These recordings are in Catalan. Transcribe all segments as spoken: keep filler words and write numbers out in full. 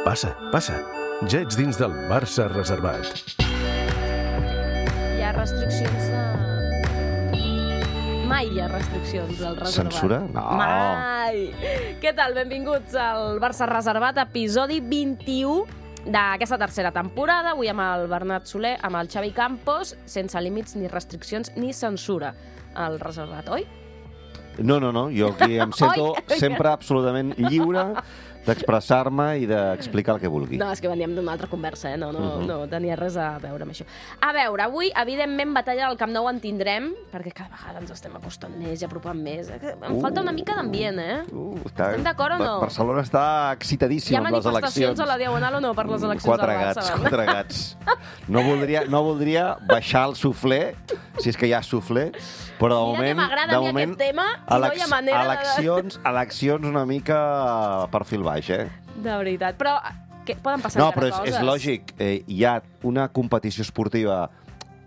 Passa, passa. Ja ets dins del Barça reservat. Hi ha restriccions de... Mai hi ha restriccions del reservat. Censura? No. Mai! Què tal? Benvinguts al Barça reservat, episodi vint-i-u d'aquesta tercera temporada. Avui amb el Bernat Soler, amb el Xavi Campos, sense límits ni restriccions ni censura al reservat, oi? No, no, no. Jo aquí em sento sempre absolutament lliure d'expressar-me i d'explicar el que vulgui. No, és que veníem d'una altra conversa, eh? No, no, Uh-huh. no tenia res a veure amb això. A veure, avui, evidentment, batalla del Camp Nou en tindrem, perquè cada vegada ens estem acostant més i apropant més. Em Uh. falta una mica d'ambient, eh? Uh, està... Estem d'acord o no? Barcelona està excitadíssim Hi ha amb les manifestacions eleccions. a la Diagonal o no per les eleccions Quatre al Barça? gats, quatre gats. No voldria, no voldria baixar el suflé, si és que hi ha suflé, però de Mira que moment... m'agrada a mi aquest tema i no hi ha manera de- eleccions, eleccions una mica per fil baix, eh? De veritat. Però que poden passar No, encara però és, coses. és lògic. Eh, hi ha una competició esportiva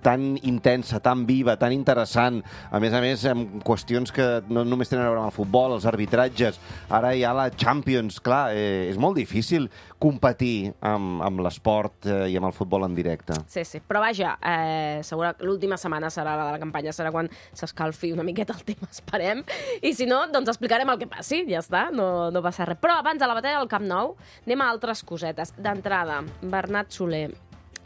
tan intensa, tan viva, tan interessant, a més a més amb qüestions que no només tenen a veure amb el futbol, els arbitratges, ara hi ha la Champions, clar, eh, és molt difícil competir amb, amb l'esport eh, i amb el futbol en directe. Sí, sí. Però vaja, eh, segura que l'última setmana serà la de la campanya, serà quan s'escalfi una miqueta el tema, esperem. I si no, doncs explicarem el que passi, ja està, no, no passa res. Però abans de la batalla del Camp Nou, anem a altres cosetes. D'entrada, Bernat Soler,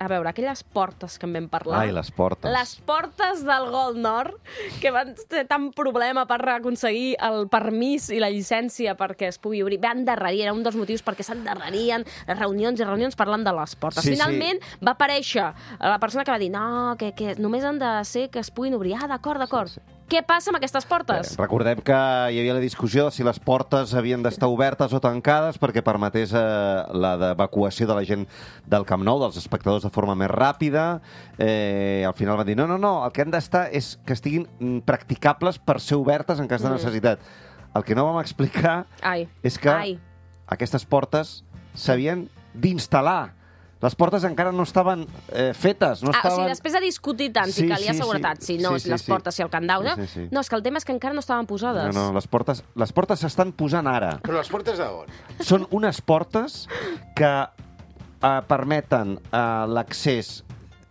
a veure, aquelles portes que en vam parlar... Ai, les portes. Les portes del Gol Nord, que van ser tan problema per aconseguir el permís i la llicència perquè es pugui obrir. Va endarrerir, era un dels motius perquè s'endarrerien reunions i reunions parlant de les portes. Sí, Finalment va aparèixer la persona que va dir no, que, que només han de ser que es puguin obrir. Ah, d'acord, d'acord. Sí. Què passa amb aquestes portes? Eh, recordem que hi havia la discussió de si les portes havien d'estar obertes o tancades perquè permetés eh, la d'evacuació de la gent del Camp Nou, dels espectadors, de forma més ràpida. Eh, al final van dir, no, no, no, el que han d'estar és que estiguin mm, practicables per ser obertes en cas de necessitat. El que no vam explicar Ai, és que ai. aquestes portes s'havien d'instal·lar. Les portes encara no estaven eh, fetes. No Ah, o estaven... sigui, després de discutir tant si Sí, calia sí, seguretat, sí. si no, Sí, sí, les sí. portes, si el candau... Sí, sí, sí. No, és que el tema és que encara no estaven posades. No, no, les portes les portes s'estan posant ara. Però les portes d'on? Són unes portes que eh, permeten eh, l'accés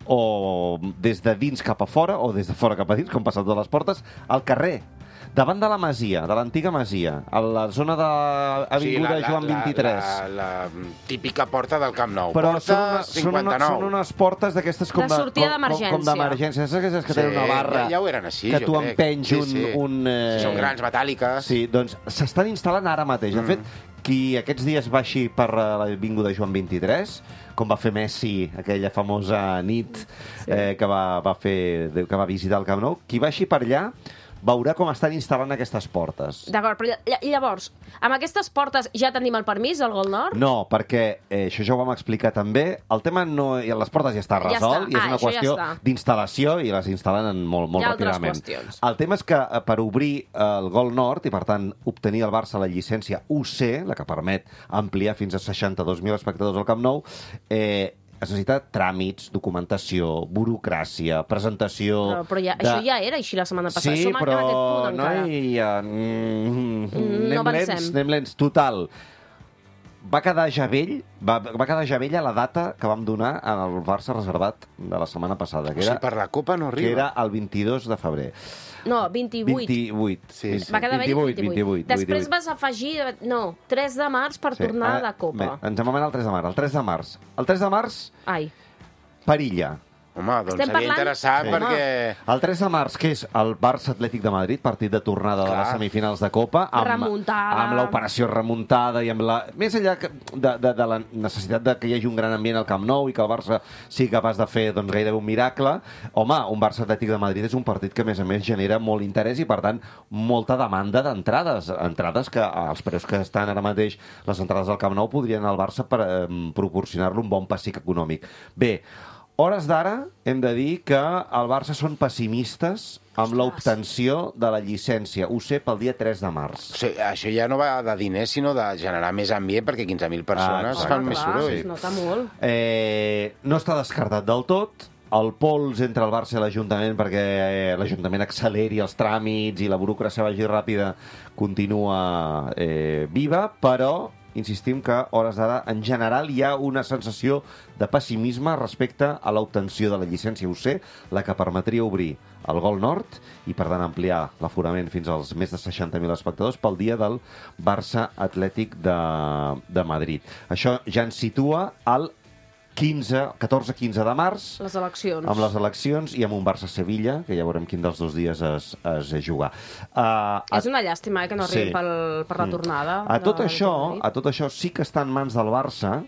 o des de dins cap a fora o des de fora cap a dins, com passen totes les portes, al carrer, davant de la masia, de l'antiga masia, a la zona de Avinguda Sí, la- Joan la- vint-i-tres. La, la, la típica porta del Camp Nou. Però porta són, una, són, una, cinquanta-nou. són unes portes d'aquestes com De sortida com- d'emergència. Com, com d'emergència. Saps aquelles que Sí, tenen una barra ja- ja ho eren així, que jo tu crec. empenys Sí, un... sí. un eh... Són grans, metàl·liques. Sí, doncs s'estan instal·lant ara mateix. De fet, qui aquests dies baixi per eh, l'Avinguda Joan vint-i-tres, com va fer Messi aquella famosa nit eh, que, va, va fer, que va visitar el Camp Nou, qui baixi per allà veurà com estan instal·lant aquestes portes. D'acord, però lla- i llavors, amb aquestes portes ja tenim el permís del Gol Nord? No, perquè eh, això ja ho vam explicar també. El tema no... i les portes ja està Ja resolt està. i és Ah, una això ja qüestió està. d'instal·lació i les instal·len molt, molt Hi ha altres ràpidament. qüestions. El tema és que eh, per obrir eh, el Gol Nord i, per tant, obtenir al Barça la llicència U C, la que permet ampliar fins a seixanta-dos mil espectadors al Camp Nou, eh, es necessita tràmits, documentació, burocràcia, presentació... Però, però ja, de... això ja era així la setmana passada. Sí, Som però encara a aquest punt, no encara. hi ha... Mm, no anem avancem. lents, anem lents. Total, va quedar ja vell, va, va quedar ja vella la data que vam donar al Barça reservat de la setmana passada, O que sigui, era, per la Copa no que arriba. era el vint-i-dos de febrer. No, vint-i-vuit. vint-i-vuit. Sí, sí. Va quedar vell vint-i-vuit, vint-i-vuit. vint-i-vuit, Després vint-i-vuit. vas afegir, no, tres de març per tornar ara- de Copa. Bé, ens hem anomenat el tres de març. El tres de març. El tres de març, Ai, Perilla. Home, doncs Estem seria parlant- interessant Sí. perquè... El tres de març, que és el Barça Atlètic de Madrid, partit de tornada de les Clar. semifinals de Copa, amb, Remuntada. amb l'operació remuntada i amb la... Més enllà que- de, de, de la necessitat de que hi hagi un gran ambient al Camp Nou i que el Barça sigui capaç de fer doncs, gairebé un miracle, home, un Barça Atlètic de Madrid és un partit que, a més a més, genera molt interès i, per tant, molta demanda d'entrades. Entrades que, als preus que estan ara mateix les entrades al Camp Nou, podrien al Barça per, eh, proporcionar-lo un bon pessic econòmic. Bé, hores d'ara hem de dir que el Barça són pessimistes amb l'obtenció de la llicència U C pel dia tres de març. O sigui, això ja no va de diners, sinó de generar més ambient, perquè quinze mil persones Ah, fan home, més clar, soroll. es nota molt. Eh, no està descartat del tot. El pols entre el Barça i l'Ajuntament perquè eh, l'Ajuntament acceleri els tràmits i la burocràcia vagi ràpida continua eh, viva, però insistim que, a hores d'ara, en general hi ha una sensació de pessimisme respecte a l'obtenció de la llicència U C, la que permetria obrir el Gol Nord i, per tant, ampliar l'aforament fins als més de seixanta mil espectadors pel dia del Barça Atlètic de, de Madrid. Això ja ens situa al quinze, catorze quinze de març, Les eleccions. amb les eleccions i amb un Barça-Sevilla, que ja veurem quin dels dos dies es, es jugar. Uh, És una llàstima, eh, que no arribi sí. pel, per la tornada. A tot, de- això, de a tot això sí que està en mans del Barça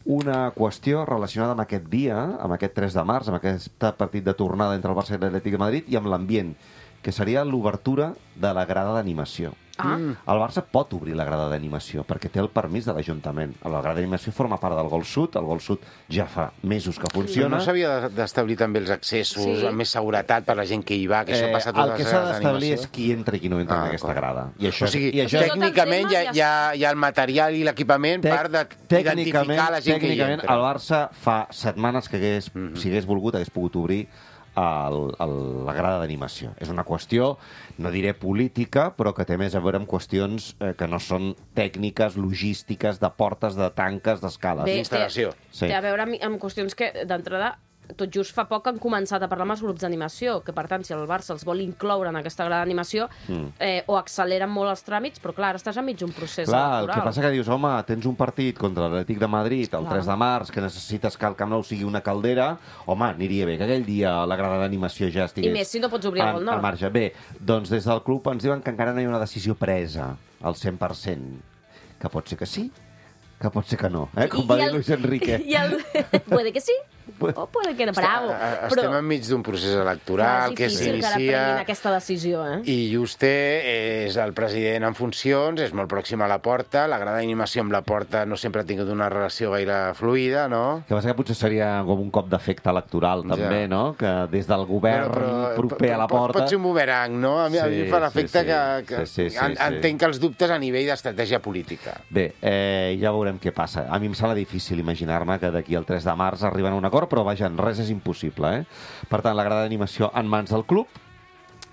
una qüestió relacionada amb aquest dia, amb aquest tres de març, amb aquest partit de tornada entre el Barça i l'Atlètic de Madrid, i amb l'ambient, que seria l'obertura de la grada d'animació. Ah. El Barça pot obrir la grada d'animació perquè té el permís de l'Ajuntament. La grada d'animació forma part del Gol Sud. El Gol Sud ja fa mesos que funciona. No s'havia de- d'establir també els accessos Sí. amb més seguretat per la gent que hi va, que això passa a el totes que les s'ha grades d'establir d'animació? és qui entra i qui no entra Ah, en aquesta clar. grada. I això, O sigui, i això tècnicament hi ha, hi, ha, hi ha el material i l'equipament per de, identificar la gent que hi tècnicament, entra. el Barça fa setmanes que hagués, Mhm. si hagués volgut, hagués pogut obrir el, el, la grada d'animació. És una qüestió, no diré política, però que té més a veure amb qüestions eh, que no són tècniques, logístiques, de portes, de tanques, d'escales. Bé, Instal·lació. Té, Sí. té a veure amb, amb qüestions que, d'entrada, tot just fa poc han començat a parlar amb els grups d'animació, que per tant, si el Barça els vol incloure en aquesta grada d'animació, mm. eh, o acceleren molt els tràmits, però clar, ara estàs enmig d'un procés Clar, el electoral. que passa que dius, home, tens un partit contra l'Atlètic de Madrid el Clar. tres de març, que necessites que el Camp Nou sigui una caldera, home, aniria bé que aquell dia la grada d'animació ja estigués... I més si no pots obrir el en- Gol Nord. al marge. Bé, doncs des del club ens diuen que encara no hi ha una decisió presa al cent per cent. Que pot ser que sí, que pot ser que no, eh? Com va dir Luis Enrique. I el... puede que sí, o puede que no. Bravo. Està- Estem Però enmig d'un procés clar, electoral és que difícil que ara s'inicia... prenguin aquesta decisió, eh? I Juste és el president en funcions, és molt pròxim a la porta, la grada d'animació amb la porta no sempre ha tingut una relació gaire fluida, no? Que passa que potser seria com un cop d'efecte electoral, Ja. també, no? Que des del govern proper a la pot- porta... Pot ser un bumerang, no? A mi, a mi em Sí, fa sí, l'efecte sí. que, que Sí, sí, sí, en, sí. entenc que els dubtes a nivell d'estratègia política. Bé, eh, ja veurem què passa. A mi em sembla difícil imaginar-me que d'aquí al tres de març arriben a un acord, però vaja, res és impossible, eh? Per tant, la grada d'animació en mans del club,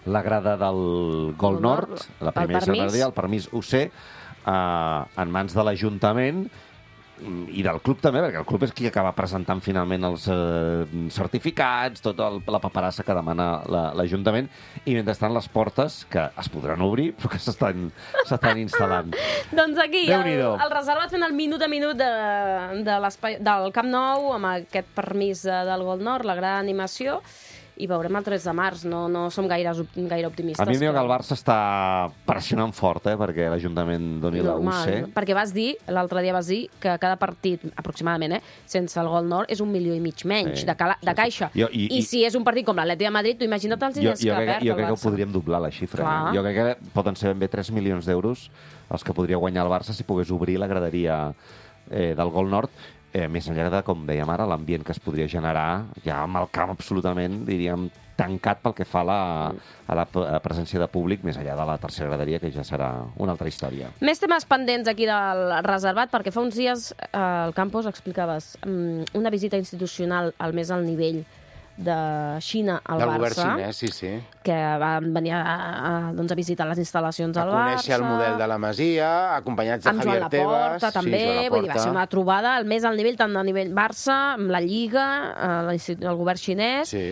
la grada del Gol Gol Nord, Nord, la el primera permís. secretaria, el permís U C, eh, en mans de l'Ajuntament i del club també, perquè el club és qui acaba presentant finalment els eh, certificats, tota el, la paperassa que demana la- l'Ajuntament, i mentrestant les portes, que es podran obrir, però que s'estan s'estan instal·lant. Doncs aquí, el, Déu-n'hi-do. el reservat fent el minut a minut de, de l'espai del Camp Nou, amb aquest permís eh, del Gol Nord, la gran animació, i veurem el tres de març. No, no som gaire, gaire optimistes. A mi em diu que però- el Barça està pressionant fort, eh, perquè l'Ajuntament doni la U C. Perquè vas dir, l'altre dia vas dir, que cada partit, aproximadament, eh, sense el Gol Nord, és un milió i mig menys Sí, de, cala, sí, de sí. caixa. Jo- i- I, i- si és un partit com l'Atleti de Madrid, tu imagina't els Jo, diners jo, que crec, perd jo el crec que ho Barça. podríem doblar, la xifra. Clar. Eh? Jo crec que poden ser ben bé tres milions d'euros els que podria guanyar el Barça si pogués obrir la graderia eh, del Gol Nord, eh, més enllà de, com dèiem ara, l'ambient que es podria generar, ja amb el camp absolutament, diríem, tancat pel que fa a la, a la p- a presència de públic, més enllà de la tercera graderia, que ja serà una altra història. Més temes pendents aquí del reservat, perquè fa uns dies eh, al Campos explicaves um, una visita institucional al més alt nivell de Xina al Del govern Barça, xinès, sí, sí. que van venir a, a, doncs, a visitar les instal·lacions A del Barça. conèixer el model de la Masia, acompanyats de Amb Joan Javier Tebas. Laporta, també, Sí, Joan vull dir, va ser Laporta. una trobada al més alt nivell, tant a nivell Barça, amb la Lliga, eh, l'insti- el govern xinès, Sí.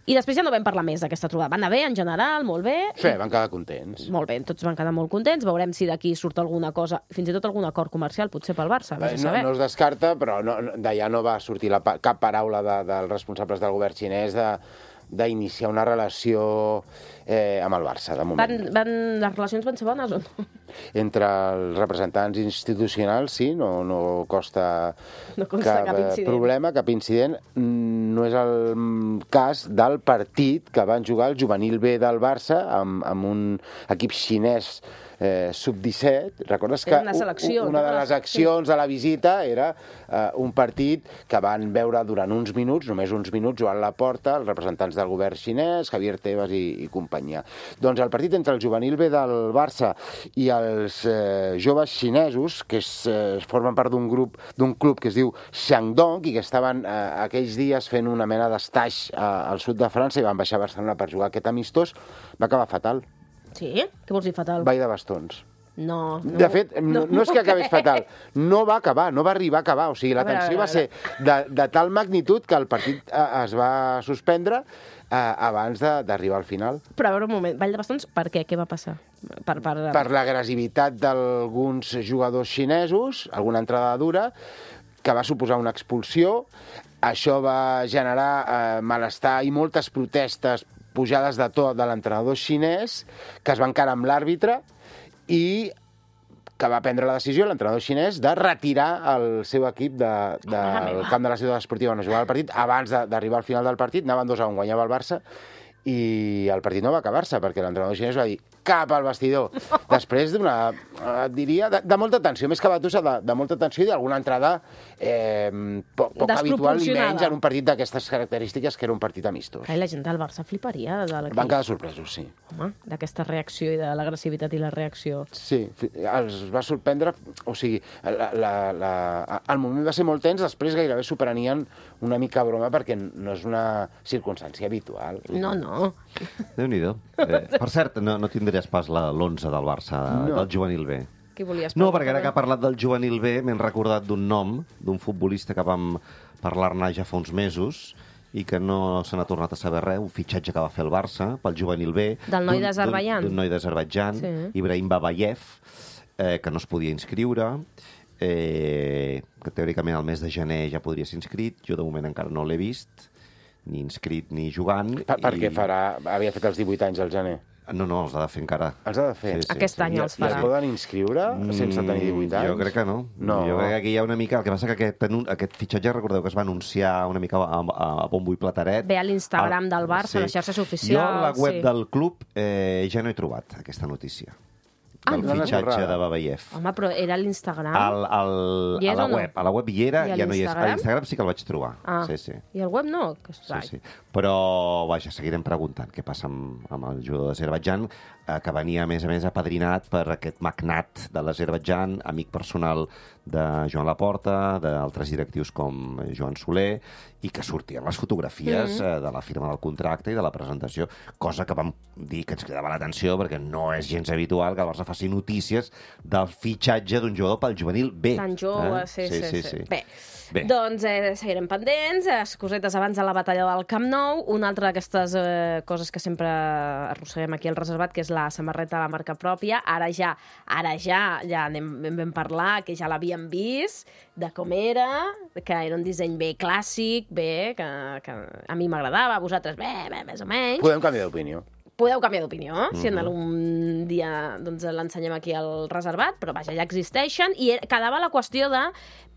i després ja no vam parlar més d'aquesta trobada. Va anar bé, en general, molt bé. Bé, van quedar contents. Molt bé, tots van quedar molt contents. Veurem si d'aquí surt alguna cosa, fins i tot algun acord comercial, potser pel Barça, vés a Eh, No, saber. no es descarta, però no, no- d'allà no va sortir la, pa- cap paraula de, dels responsables del govern xinès de d'iniciar una relació eh, amb el Barça, de moment. Van, van, les relacions van ser bones o no? Entre els representants institucionals, sí, no, no costa, No consta cap eh, incident. problema, cap incident. Mm, No és el mm, cas del partit que van jugar el juvenil B del Barça amb, amb un equip xinès eh, sub disset. Recordes que Era una selecció, u- una no? de les accions de la visita era eh, un partit que van veure durant uns minuts, només uns minuts, Joan Laporta, els representants del govern xinès, Javier Tebas i, i companyia. Doncs el partit entre el juvenil B del Barça i els eh, joves xinesos, que es, eh, formen part d'un grup, d'un club que es diu Shandong i que estaven eh, aquells dies fent una mena d'estaix eh, al sud de França i van baixar a Barcelona per jugar aquest amistós, va acabar fatal. Sí? Què vols dir fatal? Ball de bastons. No, no. De fet, no, no és que acabés fatal, no va acabar, no va arribar a acabar. O sigui, la A veure, tensió a va veure, ser de, de tal magnitud que el partit eh, es va suspendre eh, abans de- d'arribar al final. Però a veure un moment, Vall de Bastons, per què? Què va passar? Per, per... Per l'agressivitat d'alguns jugadors xinesos, alguna entrada dura, que va suposar una expulsió. Això va generar eh, malestar i moltes protestes, pujades de to de l'entrenador xinès, que es van encarar amb l'àrbitre, i que va prendre la decisió, l'entrenador xinès, de retirar el seu equip de, de, del camp de la ciutat esportiva on es jugava el partit. Abans de- d'arribar al final del partit, anaven dos a un, guanyava el Barça, i el partit no va acabar-se, perquè l'entrenador xinès va dir cap al vestidor. Després d'una, eh, diria, de, de molta tensió, més que batussa, de, de molta tensió i d'alguna entrada eh, poc, poc habitual, i menys en un partit d'aquestes característiques, que era un partit amistós. Ai, la gent del Barça fliparia de l'equip. Van quedar sorpresos, sí. Home, d'aquesta reacció i de l'agressivitat i la reacció. Sí, fi- els va sorprendre, o sigui, la, la, la, el moment va ser molt tens, després gairebé s'ho prenien una mica a broma, perquè no és una circumstància habitual. No, no. Déu-n'hi-do. Eh, per cert, no, no tindries pas la- l'onze del Barça, No. del juvenil B. Qui volies No, parlar? perquè ara que ha parlat del juvenil B m'he recordat d'un nom, d'un futbolista que vam parlar-ne ja fa uns mesos i que no se n'ha tornat a saber res, un fitxatge que va fer el Barça pel juvenil B. Del noi d'un- d'Azerbaidjan. d'un- D'un noi d'Azerbaidjan, Sí. Ibrahim Babayev, eh, que no es podia inscriure, eh, que teòricament al mes de gener ja podria ser inscrit. Jo de moment encara no l'he vist, ni inscrit ni jugant. Per, perquè i- farà, havia fet els divuit anys al gener. No, no, els ha de fer encara. Els ha de fer. Aquest any I, els I es farà. poden inscriure sense tenir divuit anys? Jo crec que no. No. Jo crec que aquí hi ha una mica... El que passa que aquest, anun- aquest fitxatge, recordeu que es va anunciar una mica a, a, a bombo i plateret. Ve a l'Instagram del Barça, a les xarxes oficials, Jo a la web sí. del club eh, ja no he trobat aquesta notícia. Ah, Del no? fitxatge Una de Babayev. Home, però era a l'Instagram? Al, al, Hi és a la o no? web. A la web hi era, I a ja no hi és. A l'Instagram? l'Instagram sí que el vaig trobar. Ah, Sí, sí. i el web no? Que Sí, estrany. sí. Però, vaja, seguirem preguntant què passa amb, amb el jugador d'Azerbaidjan, eh, que venia, a més a més, apadrinat per aquest magnat de l'Azerbaidjan, amic personal de Joan Laporta, d'altres directius com Joan Soler, i que sortien les fotografies Mm. eh, de la firma del contracte i de la presentació, cosa que vam dir que ens cridava l'atenció, perquè no és gens habitual que el Barça faci notícies del fitxatge d'un jugador pel juvenil B. Tan jove, Eh? sí, sí, sí, sí. Bé, Bé. doncs eh, seguirem pendents, eh, cosetes abans de la batalla del Camp Nou. Una altra d'aquestes eh, coses que sempre arrosseguem aquí al reservat, que és la samarreta de la marca pròpia. Ara ja, ara ja, ja anem, en vam parlar, que ja l'havíem vist, de com era, que era un disseny bé clàssic, bé, que, que a mi m'agradava, a vosaltres bé, bé, més o menys. Podem canviar d'opinió. Podeu canviar d'opinió, si en algun dia doncs, l'ensenyem aquí al reservat, però vaja, ja existeixen, i era- quedava la qüestió de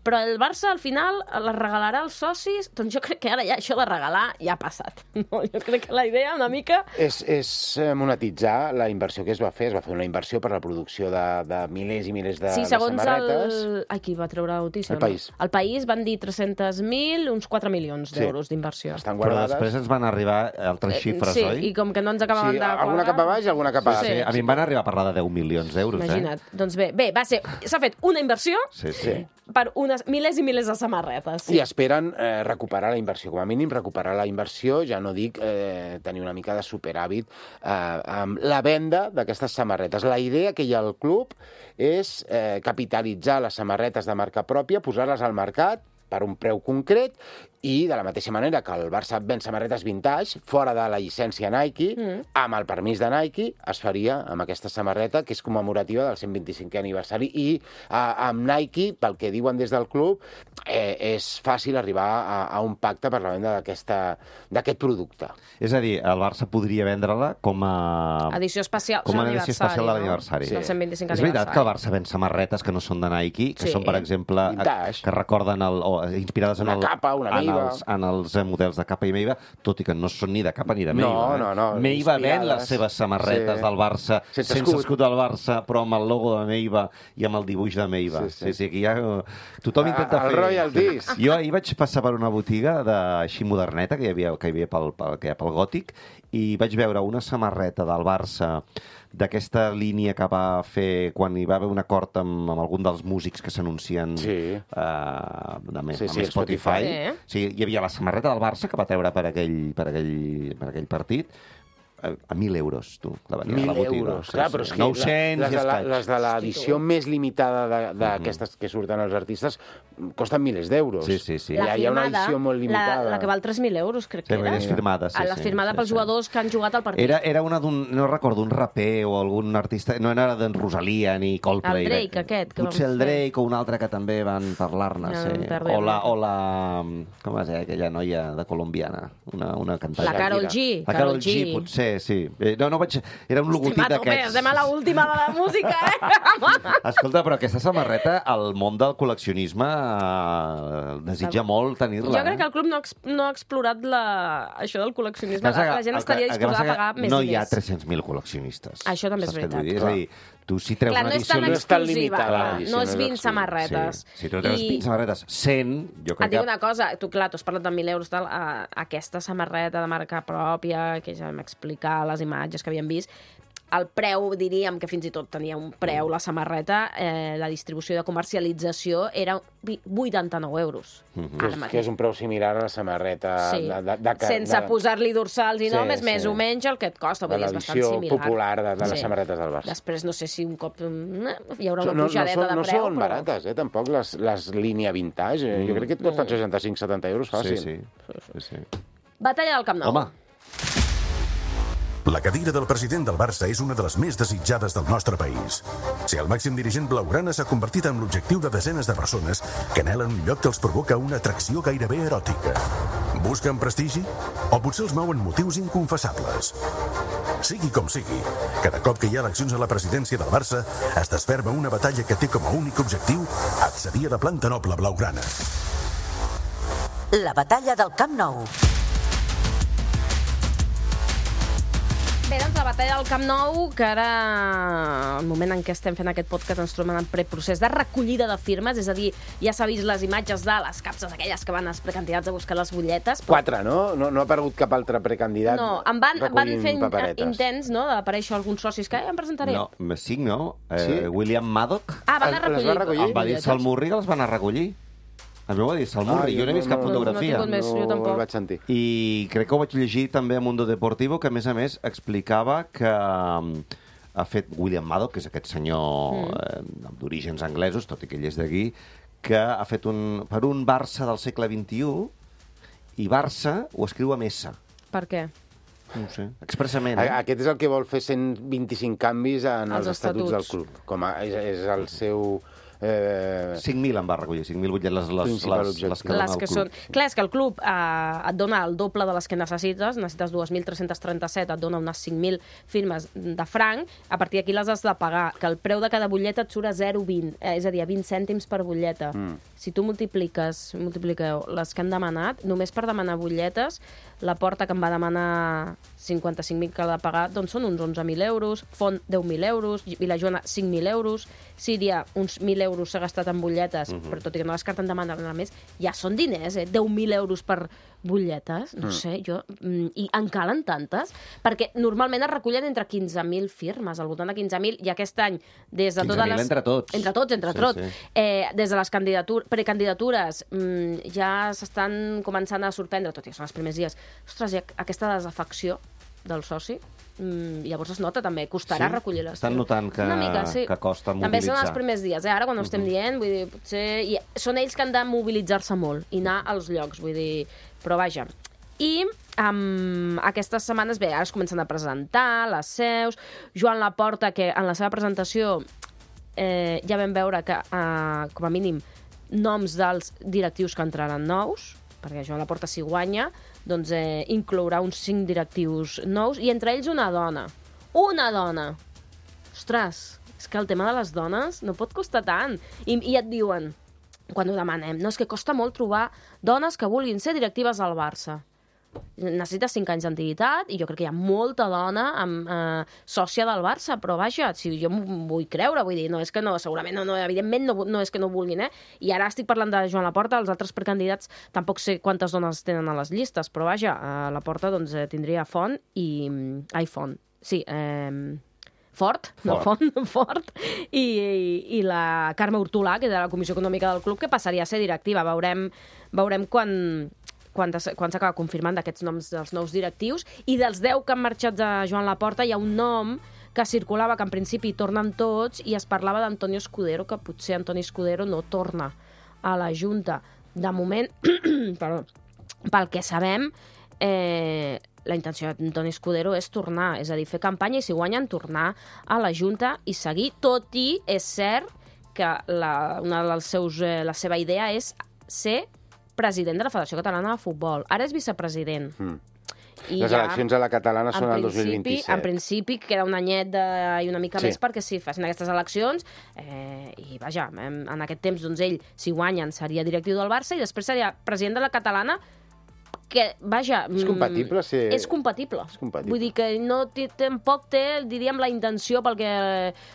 però el Barça al final les regalarà als socis? Doncs jo crec que ara ja això de regalar ja ha passat. No, jo crec que la idea una mica... És, és eh, monetitzar la inversió que es va fer. Es va fer una inversió per la producció de, de milers i milers de, Sí, de segons samarretes. el... Ai, qui va treure la notícia? El País. El País van dir tres-cents mil, uns quatre milions Sí. d'euros d'inversió. Estan Però guardades. després ens van arribar altres xifres, sí, oi? i com que no ens acabaven Sí, de quadrar... alguna cap a baix i alguna cap a Sí, dalt. sí. A mi em van arribar a parlar de deu milions d'euros, Imagina't. eh? Doncs bé, bé, va ser... S'ha fet una inversió Sí, sí. per unes milers i milers de samarretes. I esperen eh, recuperar la inversió. Com a mínim, recuperar la inversió, ja no dic eh, tenir una mica de superàvit eh, amb la venda d'aquestes samarretes. La idea que hi ha al club és eh, capitalitzar les samarretes de marca pròpia, posar-les al mercat per un preu concret, i de la mateixa manera que el Barça ven samarretes vintage, fora de la llicència Nike, Mm. amb el permís de Nike, es faria amb aquesta samarreta, que és commemorativa del cent vint-i-cinquè aniversari, i eh, amb Nike, pel que diuen des del club, eh, és fàcil arribar a, a un pacte per la venda d'aquesta- d'aquest producte. És a dir, el Barça podria vendre-la com a... Edició especial, com a de edició l'aniversari, especial de no? l'aniversari. Sí. Del cent vint-i-cinquè És veritat que el aniversari. Barça ven samarretes que no són de Nike, que Sí. són, per exemple, Vintage. que recorden el, o inspirades en Una el, capa, una en Meiva. els, en els eh, models de capa i Meiva, tot i que no són ni de capa ni de No, Meiva. eh? no, no, Meiva ven inspirades. les seves samarretes Sí. del Barça Sense sense, escut. escut del Barça, però amb el logo de Meiva i amb el dibuix de Meiva. Sí, Sí, sí. sí, sí aquí ja... Tothom Ah, intenta el fer... royalties. Jo ahir vaig passar per una botiga de, així moderneta que hi havia, que hi havia pel, pel, que hi ha pel Gòtic, i vaig veure una samarreta del Barça d'aquesta línia que va fer quan hi va haver un acord amb, amb algun dels músics que s'anuncien Sí. eh, de, Sí, amb sí, Spotify. Spotify. Sí, hi havia la samarreta del Barça que va treure per aquell, per aquell, per aquell partit, a, a mil euros, tu, la venia Mil a la botiga. euros, Sí, clar, sí. però és que nou-cents les, i de la, escaig. les de l'edició més limitada d'aquestes que surten els artistes costen milers d'euros. Sí, sí, sí. Hi ha, hi ha una edició molt limitada. La, la que val tres mil euros, crec Sí, que era. és firmada, sí, La sí, firmada sí, pels sí. jugadors que han jugat al partit. Era, era una d'un, no recordo, un raper o algun artista, no era d'en Rosalia ni Coldplay. El Drake, aquest, que Potser vam el fer. Drake o un altre que també van parlar-ne, Ja sí. em perdo O ja la, una o la... Com es deia aquella noia de colombiana? Una, una cantant. La Karol G. La Karol G, potser, sí. Eh, No, no vaig... Era un logotip Estem a tope, d'aquests. estem a l'última de la música, eh? Escolta, però aquesta samarreta, el món del col·leccionisme eh, desitja molt tenir-la. Jo crec que el club no ha, ex no ha explorat la... això del col·leccionisme. Passa que La gent el estaria que- el que disposada a passa que pagar més no diners. hi ha tres-cents mil col·leccionistes. Això també és Saps què et veritat. vull dir? És a dir, tu si treus Clar, una no és edició... tan no és tan exclusiva, limitada, clar, l'edició, no no és és vint exclusiva. samarretes. Sí. Si tu treus I- vint samarretes, cent, jo Et crec dic que... una cosa, tu, clar, tu has parlat de mil euros, tal, a, aquesta samarreta de marca pròpia, que ja vam explicar les imatges que havíem vist, el preu, diríem que fins i tot tenia un preu, la samarreta, eh, la distribució de comercialització era vi- vuitanta-nou euros. Mhm. Ara Que és, mateix. que és un preu similar a la samarreta Sí. de, de, de, de, Sense de, posar-li dorsals i Sí, noms, és sí. més o menys el que et costa. de Vull dir, és bastant l'edició similar. popular de, de les Sí. samarretes del Barça. Després no sé si un cop mm, hi haurà una no, no, pujadeta són, de no preu, són però... barates, eh, tampoc, les, les línia vintage. Eh? Jo crec que et costen seixanta-cinc setanta euros fàcil. Sí, sí. sí, sí. Batalla del Camp Nou. Home, La cadira del president del Barça és una de les més desitjades del nostre país. Si el màxim dirigent blaugrana s'ha convertit en l'objectiu de desenes de persones que anhelen un lloc que els provoca una atracció gairebé eròtica. Busquen prestigi? O potser els mouen motius inconfessables? Sigui com sigui, cada cop que hi ha eleccions a la presidència del Barça es desferma una batalla que té com a únic objectiu accedir a la planta noble blaugrana. La batalla del Camp Nou. Bé, doncs la batalla del Camp Nou, que ara, el moment en què estem fent aquest podcast, ens trobem en preprocés de recollida de firmes, és a dir, ja s'ha vist les imatges de les capses aquelles que van els precandidats a buscar les butlletes. Però... Quatre, no? no? No ha aparegut cap altre precandidat No, em van, van recollint fer in- paperetes. intents, no?, d'aparèixer alguns socis que ja em presentaré. no, cinc, no? Eh, Sí? William Maddock Ah, van Les- a les recollir. va recollir? em va dir Salmurri que les van a recollir. A mi ho va dir Salmurri, jo no he vist cap no, fotografia. no tinc més, jo No tampoc. el vaig sentir. I crec que ho vaig llegir també a Mundo Deportivo, que a més a més explicava que mm, ha fet William Maddock, que és aquest senyor mm. eh, d'orígens anglesos, tot i que ell és d'aquí, que ha fet un, per un Barça del segle vint-i-u, i Barça ho escriu amb S. Per què? No ho sé, expressament. A- Eh? Aquest és el que vol fer cent vint-i-cinc canvis en Els els estatuts del estatuts. club. Com a, és, és el seu... Eh, cinc mil en va recollir, cinc mil butlletes, les, les, Principal les, objectiu. les que dona Les el que club. són... Clar, és que el club eh, et dona el doble de les que necessites, necessites dos mil tres-cents trenta-set, et dona unes cinc mil firmes de franc, a partir d'aquí les has de pagar, que el preu de cada butlleta et surt a zero coma vint, eh, és a dir, a vint cèntims per butlleta. Mm. Si tu multipliques, multipliqueu les que han demanat, només per demanar butlletes, la Porta, que em va demanar cinquanta-cinc mil que ha de pagar, doncs són uns onze mil euros, Font deu mil euros, Vilajoana cinc mil euros, Síria uns mil euros s'ha gastat en butlletes, mm -hmm. però tot i que no descarten demanar més, ja són diners, eh? deu mil euros per butlletes, no mm. sé, jo... Mm, I en calen tantes, perquè normalment es recullen entre quinze mil firmes, al voltant de quinze mil, i aquest any, des de totes quinze mil les... entre tots. Entre tots, entre Sí, tots. sí. Eh, des de les candidatures, precandidatures mm, ja s'estan començant a sorprendre, tot i que són els primers dies. Ostres, hi ha aquesta desafecció del soci, mm, llavors es nota també, costarà Sí? recollir les Estan firmes. notant que- Una mica, sí. que costa També són mobilitzar. els primers dies, eh? Ara quan ho estem dient, vull dir, potser... I són ells que han de mobilitzar-se molt i anar als llocs, vull dir... Però vaja. I um, aquestes setmanes, bé, ara es comencen a presentar les seus. Joan Laporta, que en la seva presentació eh, ja vam veure que, eh, com a mínim, noms dels directius que entraran nous, perquè Joan Laporta, si guanya, doncs eh, inclourà uns cinc directius nous, i entre ells una dona. Una dona! Ostres, és que el tema de les dones no pot costar tant. I, i et diuen, quan ho demanem, no, és que costa molt trobar dones que vulguin ser directives al Barça. Necessites cinc anys d'antiguitat i jo crec que hi ha molta dona amb, eh, sòcia del Barça, però vaja, si jo m'ho vull creure, vull dir, no és que no, segurament, no, no, evidentment no, no és que no vulguin, eh? I ara estic parlant de Joan Laporta, els altres precandidats tampoc sé quantes dones tenen a les llistes, però vaja, a Laporta doncs, eh, tindria Font i... Ai, Font, sí, eh... Fort, no Fort. Font, Fort, i, i, i la Carme Hortolà, que és de la Comissió Econòmica del club, que passaria a ser directiva. Veurem, veurem quan, quan, quan s'acaba confirmant d'aquests noms dels nous directius, i dels deu que han marxat de Joan Laporta hi ha un nom que circulava, que en principi tornen tots, i es parlava d'Antonio Escudero, que potser Antonio Escudero no torna a la Junta. De moment, perdó, pel que sabem, eh, la intenció d'Antoni Escudero és tornar, és a dir, fer campanya i, si guanyen, tornar a la Junta i seguir, tot i, és cert, que la, una dels seus, eh, la seva idea és ser president de la Federació Catalana de Futbol. Ara és vicepresident. Mm. I les ja, eleccions a la catalana són el dos mil vint-i-set. En principi queda un anyet de, i una mica sí. més perquè sí, facin aquestes eleccions eh, i vaja, en, en aquest temps doncs ell, si guanyen, seria directiu del Barça i després seria president de la catalana, que, vaja... És compatible ser... És compatible. És compatible. Vull dir que no té, tampoc té, diríem, la intenció, perquè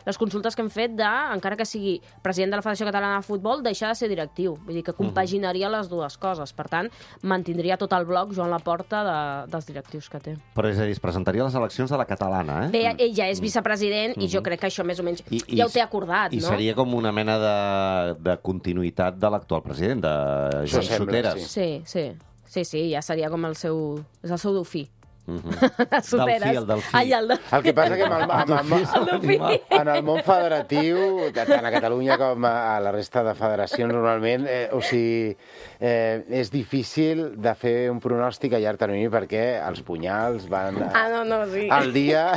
les consultes que hem fet de, encara que sigui president de la Federació Catalana de Futbol, deixar de ser directiu. Vull dir que compaginaria uh -huh. les dues coses. Per tant, mantindria tot el bloc Joan Laporta de, dels directius que té. Però és a dir, es presentaria a les eleccions de la catalana, eh? Bé, ell ja és vicepresident uh -huh. i jo crec que això més o menys I, ja ho té acordat, i no? I seria com una mena de, de continuïtat de l'actual president, de Joan Soteras. Sí. sí, sí. Sí, sí, ja seria com el seu... És el seu dofí. Uh -huh. Soteres. Del fi, el del fi. Ai, el, del... el que passa que amb el, amb, amb, amb, en el món federatiu, tant a Catalunya com a la resta de federacions normalment, eh, o sigui, eh, és difícil de fer un pronòstic a llarg termini perquè els punyals van ah, no, no, sí. al dia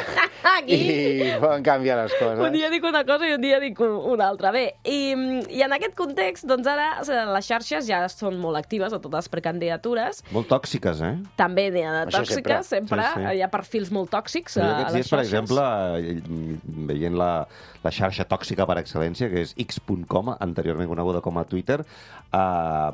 i poden canviar les coses. Un dia dic una cosa i un dia dic una altra. Bé, i, i en aquest context, doncs ara les xarxes ja són molt actives a totes les precandidatures. Molt tòxiques, eh? També n'hi ha de Això tòxiques, sempre. sempre. Sí, sí. Hi ha perfils molt tòxics a, a les dies, xarxes. per exemple, veient la, la xarxa tòxica per excel·lència, que és x punt com, anteriorment coneguda com a Twitter, eh,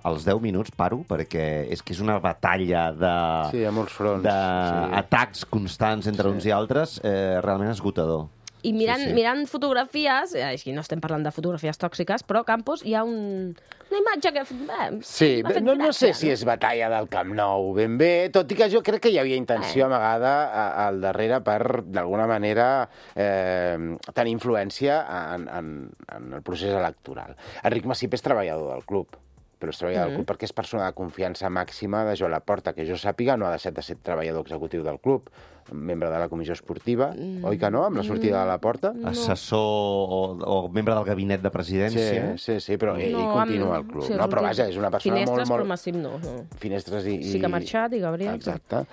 als deu minuts paro, perquè és que és una batalla de... Sí, a molts fronts. D'atacs sí. constants entre sí. uns i altres, eh, realment esgotador. I mirant, sí, sí. mirant fotografies, aquí no estem parlant de fotografies tòxiques, però Campos, hi ha un, una imatge que... Eh, sí, no, no sé si és batalla del Camp Nou ben bé, tot i que jo crec que hi havia intenció eh. amagada al darrere per, d'alguna manera, eh, tenir influència en, en, en el procés electoral. Enric Massip és treballador del club, però és treballador mm. del club perquè és persona de confiança màxima de Joan Laporta, que jo sàpiga no ha deixat de ser treballador executiu del club, membre de la comissió esportiva, mm. oi que no, amb la sortida de Laporta? No. Assessor o, o membre del gabinet de presidència. Sí, sí, sí, però ell no, continua amb... al club. Sí, no, però vaja, és una persona Finestres, molt... però Massip no. no. Finestres i, i... Sí que ha marxat, i Gabriel... Exacte,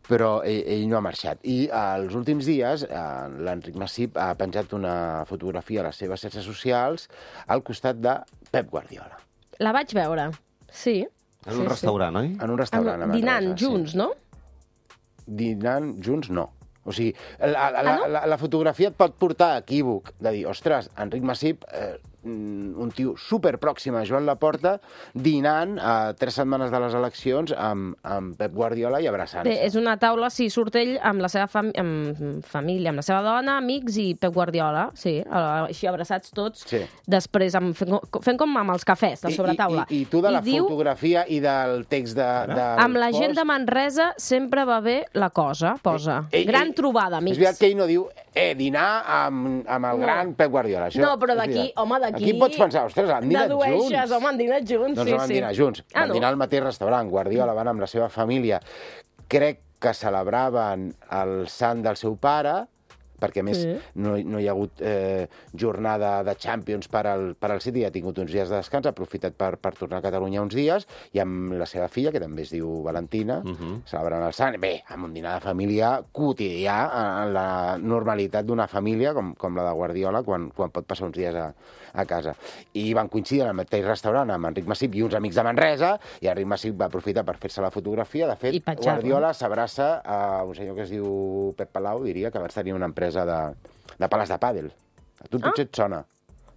però ell, ell no ha marxat. I als últims dies eh, l'Enric Massip ha penjat una fotografia a les seves xarxes socials al costat de Pep Guardiola. La vaig veure, sí. En sí, un restaurant, sí. oi? En un restaurant. En, dinant Manresa, junts, sí. no? Dinant junts, no. O sigui, la, la, ah, no? la, la fotografia et pot portar a equívoc, de dir, ostres, Enric Massip, eh, un tio superpròxim a Joan Laporta, dinant a tres setmanes de les eleccions amb, amb Pep Guardiola i abraçant-se. Bé, és una taula, sí, surt ell amb la seva fam amb família, amb la seva dona, amics i Pep Guardiola, sí, així abraçats tots, sí. després amb, fent, fent com amb els cafès de sobretaula. I, i, i tu de la I fotografia diu, i del text de... de amb la gent de Manresa sempre va bé la cosa, posa. Ell, gran ell, trobada, amics. És veritat que ell no diu, eh, dinar amb, amb el no. gran Pep Guardiola. Això no, però d'aquí, home, d'aquí... Aquí pots pensar, ostres, han dinat dedueixes, junts. home, han dinat junts, doncs sí, no van sí. dinar junts, ah, van no. dinar al mateix restaurant. Guardiola van amb la seva família. Crec que celebraven el sant del seu pare, perquè a més sí. no, no hi ha hagut eh, jornada de Champions per al, per al City, ha tingut uns dies de descans, ha aprofitat per, per tornar a Catalunya uns dies, i amb la seva filla, que també es diu Valentina, uh -huh. celebrant el sant, bé, amb un dinar de família quotidià, en la normalitat d'una família, com, com la de Guardiola, quan, quan pot passar uns dies a, a casa. I van coincidir en el mateix restaurant amb Enric Massip i uns amics de Manresa, i Enric Massip va aprofitar per fer-se la fotografia. De fet, Guardiola s'abraça a un senyor que es diu Pep Palau, diria, que va tenir una empresa de, de pales de pàdel. A tu potser ah. et sona.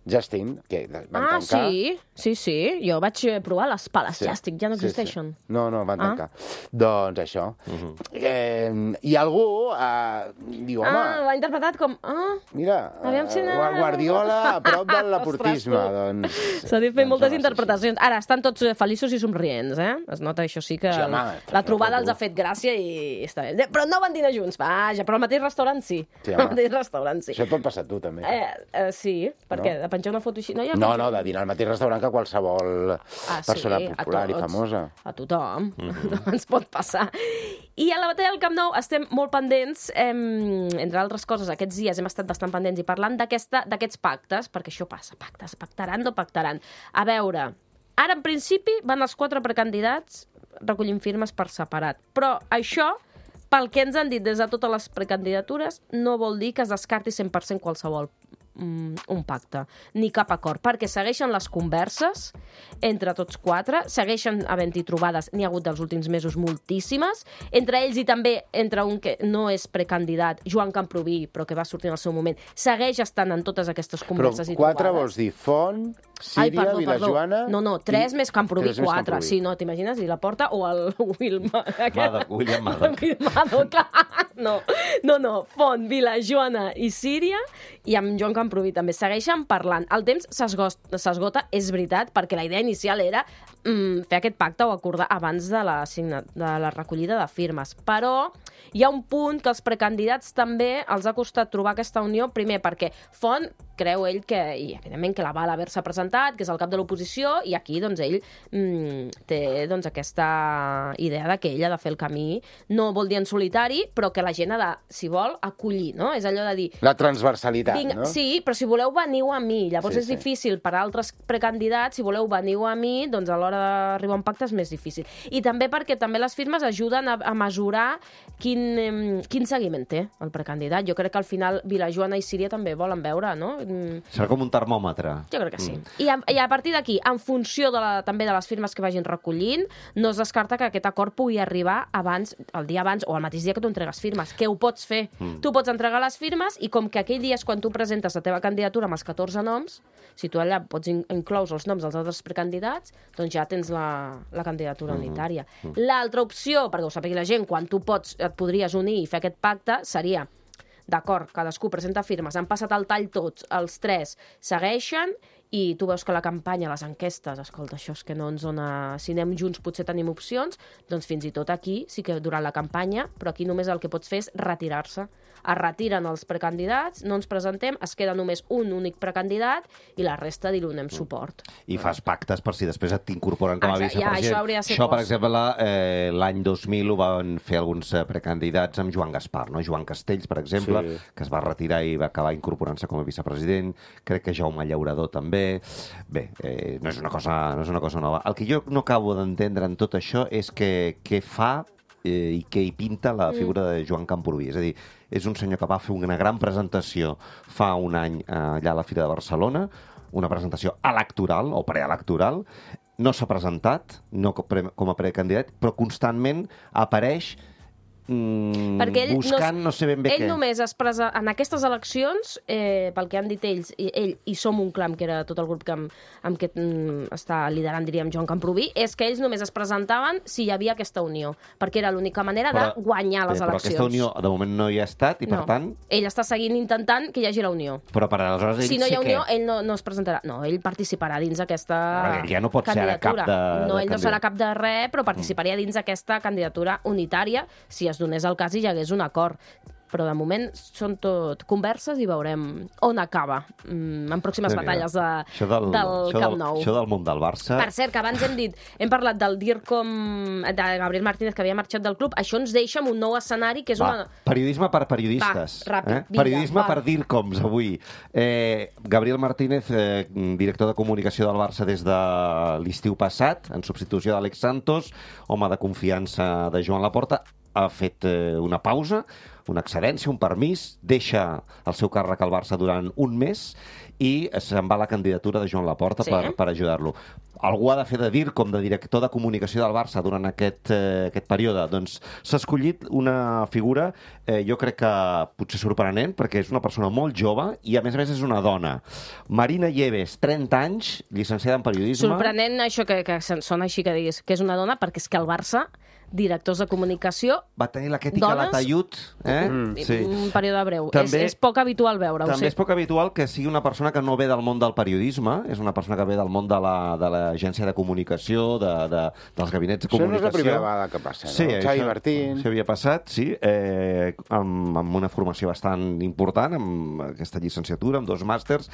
Justin, que van ah, tancar... Ah, sí, sí, sí. Jo vaig provar les pales sí. Justin, ja no existeixen. Sí, sí. No, no, van tancar. Ah. Doncs això. Uh -huh. eh, I algú eh, diu, home... Ah, l'ha interpretat com... Ah, mira, eh, si no... Guardiola a prop del laportisme. doncs... S'ha dit fer doncs moltes interpretacions. Ara, estan tots feliços i somrients, eh? Es nota, això sí, que sí, home, la, la trobada els ha fet gràcia i està bé. Però no van dinar junts, vaja, però al mateix restaurant sí. Sí, al mateix restaurant sí. Això et pot passar a tu, també. Eh, eh, sí, perquè no? penjar una foto així... No, ja no, no, de dinar al mateix restaurant que qualsevol ah, persona sí, popular tots, i famosa. A tothom. Mm-hmm. Ens pot passar. I a la batalla del Camp Nou estem molt pendents, eh, entre altres coses, aquests dies hem estat bastant pendents i parlant d'aquests pactes, perquè això passa, pactes, pactaran o pactaran. A veure, ara en principi van els quatre precandidats recollint firmes per separat, però això, pel que ens han dit des de totes les precandidatures, no vol dir que es descarti cent per cent qualsevol un pacte, ni cap acord, perquè segueixen les converses entre tots quatre, segueixen havent-hi trobades, n'hi ha hagut dels últims mesos moltíssimes, entre ells i també entre un que no és precandidat, Joan Camprubí, però que va sortir en el seu moment, segueix estant en totes aquestes converses però i trobades. Però quatre vols dir Font, Síria, Ai, perdó, Vilajoana... No, no, tres i... més Camprubí, tres quatre. Camprubí. Sí, no, t'imagines? I la porta o el Wilma... Maddock, William Maddock. Maddock, no, no, no, Font, Vilajoana i Síria, i amb Joan Camprubí també segueixen parlant. El temps s'esgota, és veritat, perquè la idea inicial era mm, fer aquest pacte o acordar abans de la, de la recollida de firmes. Però hi ha un punt que els precandidats també els ha costat trobar aquesta unió, primer perquè Font creu ell que, i evidentment que la val haver-se presentat, que és el cap de l'oposició, i aquí doncs ell mm, té doncs, aquesta idea de que ell ha de fer el camí, no vol dir en solitari, però que la gent ha de, si vol, acollir, no? És allò de dir... La transversalitat, vinc, no? Sí, però si voleu veniu a mi. Llavors sí, és sí. difícil per a altres precandidats, si voleu veniu a mi, doncs a l'hora d'arribar a un pacte és més difícil. I també perquè també les firmes ajuden a, a mesurar quin, quin seguiment té el precandidat. Jo crec que al final Vilajoana i Síria també volen veure, no? Serà com un termòmetre. Jo crec que sí. Mm. I, a, I a partir d'aquí, en funció de la, també de les firmes que vagin recollint, no es descarta que aquest acord pugui arribar abans, el dia abans o el mateix dia que tu entregues firmes. Què ho pots fer? Mm. Tu pots entregar les firmes i com que aquell dia és quan tu presentes la teva candidatura amb els catorze noms, si tu allà pots in inclous els noms dels altres precandidats, doncs ja tens la, la candidatura mm-hmm. unitària. Mm. L'altra opció, perquè ho sàpiga la gent, quan tu pots, et podries unir i fer aquest pacte, seria... D'acord, cadascú presenta firmes, han passat el tall tots, els tres segueixen i tu veus que la campanya, les enquestes, escolta, això és que no ens dona... Si anem junts potser tenim opcions, doncs fins i tot aquí sí que durant la campanya, però aquí només el que pots fer és retirar-se. Es retiren els precandidats, no ens presentem, es queda només un únic precandidat i la resta li donem suport. I fas pactes per si després et t'incorporen com a vicepresident. Ja, això hauria de ser això, per exemple, eh, l'any dos mil ho van fer alguns precandidats amb Joan Gaspar, no? Joan Castells, per exemple, sí. que es va retirar i va acabar incorporant-se com a vicepresident. Crec que Jaume Llaurador també. Bé, eh, no és una cosa, no és una cosa nova. El que jo no acabo d'entendre en tot això és que, què fa eh, i què hi pinta la figura de Joan Camprubí. És a dir, és un senyor que va fer una gran presentació fa un any eh, allà a la Fira de Barcelona, una presentació electoral o preelectoral, no s'ha presentat no com a precandidat, però constantment apareix Mm, buscant no, no sé ben bé ell què. Ell només es presa... En aquestes eleccions, eh, pel que han dit ells, i, ell i Som un Clam, que era tot el grup que amb, amb què mm, està liderant, diríem, Joan Camprubí, és que ells només es presentaven si hi havia aquesta unió, perquè era l'única manera però, de guanyar les bé, eleccions. Però aquesta unió de moment no hi ha estat i, per no. tant... Ell està seguint intentant que hi hagi la unió. Però per aleshores ell si no hi ha unió, què? ell no, no es presentarà. No, ell participarà dins aquesta no, ja no pot candidatura. Ser cap de, no, de ell no serà cap de res, però participaria dins aquesta candidatura unitària si es donés el cas i hi hagués un acord. Però de moment són tot converses i veurem on acaba mm, en pròximes sí, batalles de, del, del Camp Nou. Això del món del Barça... Per cert, que abans hem dit, hem parlat del DIRCOM de Gabriel Martínez, que havia marxat del club, això ens deixa amb un nou escenari que és va, una... Periodisme per periodistes. Va, ràpid, eh? vinga, Periodisme va. per DIRCOMs, avui. Eh, Gabriel Martínez, eh, director de comunicació del Barça des de l'estiu passat, en substitució d'Àlex Santos, home de confiança de Joan Laporta, ha fet eh, una pausa, una excedència, un permís, deixa el seu càrrec al Barça durant un mes i se'n va a la candidatura de Joan Laporta sí. per, per ajudar-lo. Algú ha de fer de dir com de director de comunicació del Barça durant aquest, eh, aquest període. Doncs s'ha escollit una figura, eh, jo crec que potser sorprenent, perquè és una persona molt jove i a més a més és una dona. Marina Lleves, trenta anys, llicenciada en periodisme. Sorprenent això que, que sona així que diguis que és una dona, perquè és que el Barça directors de comunicació. Va tenir la Kètica Dones? Latayud, eh? Mm. Sí. Un període breu. També- és, és poc habitual veure-ho, També sí. és poc habitual que sigui una persona que no ve del món del periodisme, és una persona que ve del món de la- de l'agència de comunicació, de, de, dels gabinets de Això no és comunicació. la primera vegada que passa, no? Sí, Xavi això Martín. s'havia passat, sí, eh, amb, amb una formació bastant important, amb aquesta llicenciatura, amb dos màsters.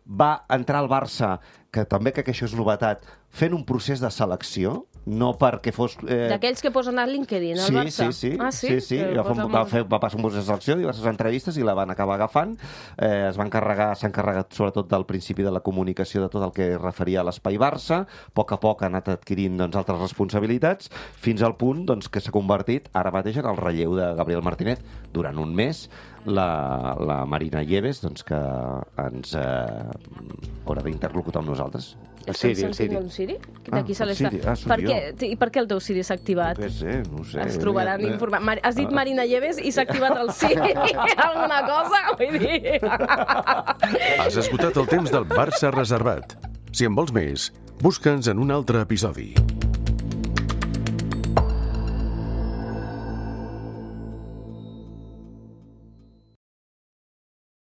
Va entrar al Barça, que també crec que això és novetat, fent un procés de selecció, no perquè fos... Eh... D'aquells que posen a LinkedIn, al Sí, Barça. sí, sí. Ah, sí? sí, sí. Que Va, fer, posa va, molt- fer, va passar un procés de selecció, diverses entrevistes, i la van acabar agafant. Eh, es va encarregar, s'ha encarregat sobretot del principi de la comunicació de tot el que es referia a l'Espai Barça. A poc a poc ha anat adquirint doncs, altres responsabilitats, fins al punt doncs, que s'ha convertit ara mateix en el relleu de Gabriel Martínez. Durant un mes, la, la Marina Lleves, doncs, que ens eh, haurà d'interlocutar amb nosaltres. El Estem Siri, el sentint Siri. un Siri? Ah, D'aquí se el l'està... Siri. Ah, sóc per jo. què? I per què el teu Siri s'ha activat? Què sé, no ho sé. Es trobaran Eh, informats. Mar... Has dit Marina Lleves i s'ha activat el Siri. Alguna cosa? Vull dir... Has esgotat el temps del Barça reservat. Si en vols més, busca'ns en un altre episodi.